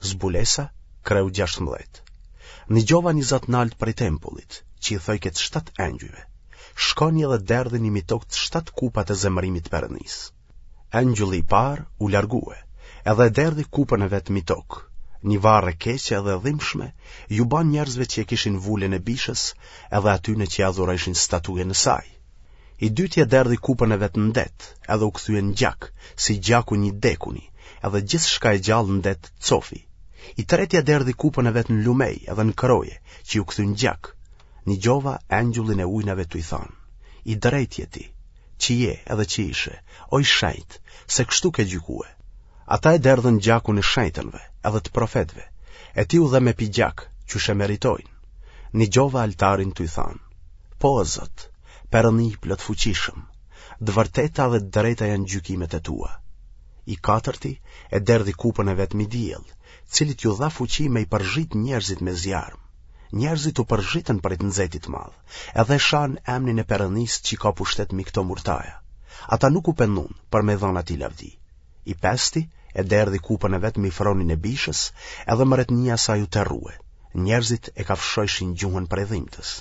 Zbulesa, kreu 16. Nigjova një za të naltë prej tempullit, që i thojke të shtatë engjujve. Shkoni edhe derdhini mi tokë të shtatë kupat e zemërimit të Perënisë. Engjulli i parë u largue, edhe e derdhi kupën e vet mi tokë. Një varrë e keqe edhe e dhimbshme ju ba njerëzve që e kishin vulën e bishës edhe atyne që e adhurojshin statujën e saj. I dyti e derdhi kupën e vet në det, edhe u kthye në gjak, si gjaku i një t'dekuni, edhe gjithçka e gjallë në det cofi. I treti e derdhi kupën e vet në lumej edhe në kroje, që iu kthyen në gjak. Nigjova engjëllin e ujnave tuj thanë, I drejtë je ti, që je edhe që ishe, o i shenjtë, se kështu ke gjykue. Ata e derdhën gjakun e shenjtënve, edhe të profetëve, e ti u dhe me pi gjak, qysh e meritojnë. Nigjova altarin tuj thanë, Po, o Zot, Perëndi i plotfuqishëm, të vërteta dhe të drejta janë gjykimet e tua. I katërti e derdhi kupën e vet mi diell, cilit iu dha fuqi me i përzhit njerëzit me zjarm. Njerëzit u përzhitën prej të nxehtit të madh, edhe e shanë emnin e Perëndisë që ka pushtet mi këto murtaja. Ata nuk u pendun për me dhënë atij lavdi. I pesti e derdhi kupën e vet mi fronin e bishës, edhe mretnia e saj u terrue. Njerëzit e kafshojshin gjuhën prej dhimtës.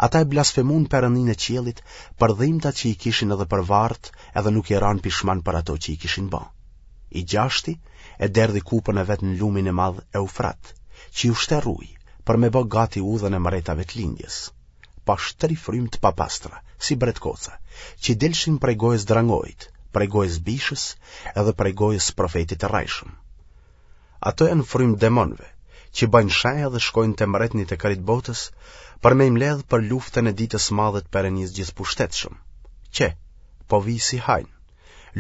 Ata e blasfemun Perëndinë e qiellit për dhimtat që i kishin edhe për varrët edhe nuk i ranë pishman për ato që i kishin ba. I gjashti e derdhi kupën e vet në lumin e madh Eufrat, që iu shterr uji, për me bë gati udhën e mretave të lindjes. Pashë tri frymë të papastra, si bretkoca, që dilshin prej gojës drangoit, prej gojës bishës edhe prej gojës profetit të rrejshëm. Ato janë frymë demonëve, që bëjnë shenja dhe shkojnë te mretnit e krejt botës për me i mbledh për luftën e ditës së madhe të Perëndisë gjithëpushtetshëm. Qe, po vij si hajn.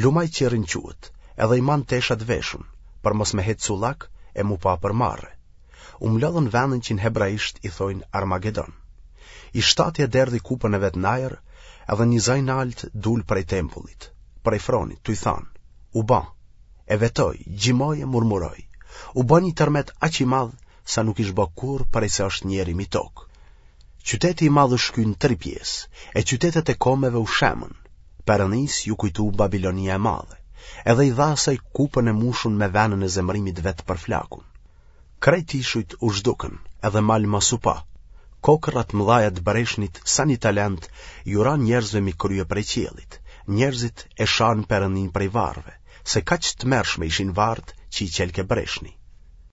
Lum ai që rrin quhet, edhe i man teshat veshun, për mos me hec cullak e m'u pa për marre. U mblodhën në vendin që në hebraisht i thojnë Armagedon. I shtati e derdhi kupën e vet në ajër, edhe një za i naltë dul prej tempullit, prej fronit, tuj thanë, u ba, e vetoi, gjimoi e murmuroi. U bë një tërmet aq i madh sa nuk ish bë kurrë prej se është njeri mi tokë. Qyteti i madh u shky në tri pjesë, e qytetet e komeve u shemën. Perëndisë iu kujtu Babilonia e madhe, edhe i dha asaj kupën e mushun me venën e zemërimit vet përflakun. Krejt ishujt u zhdukën, edhe mal ma s'u pa. Kokrra të mëdhaja të breshnit sa një talent ju ranë njerëzve mi krye prej qiellit. Njerëzit e shanë Perëndinë prej varreve, se kaq të tmerrshme ishin varret që i çelke breshni.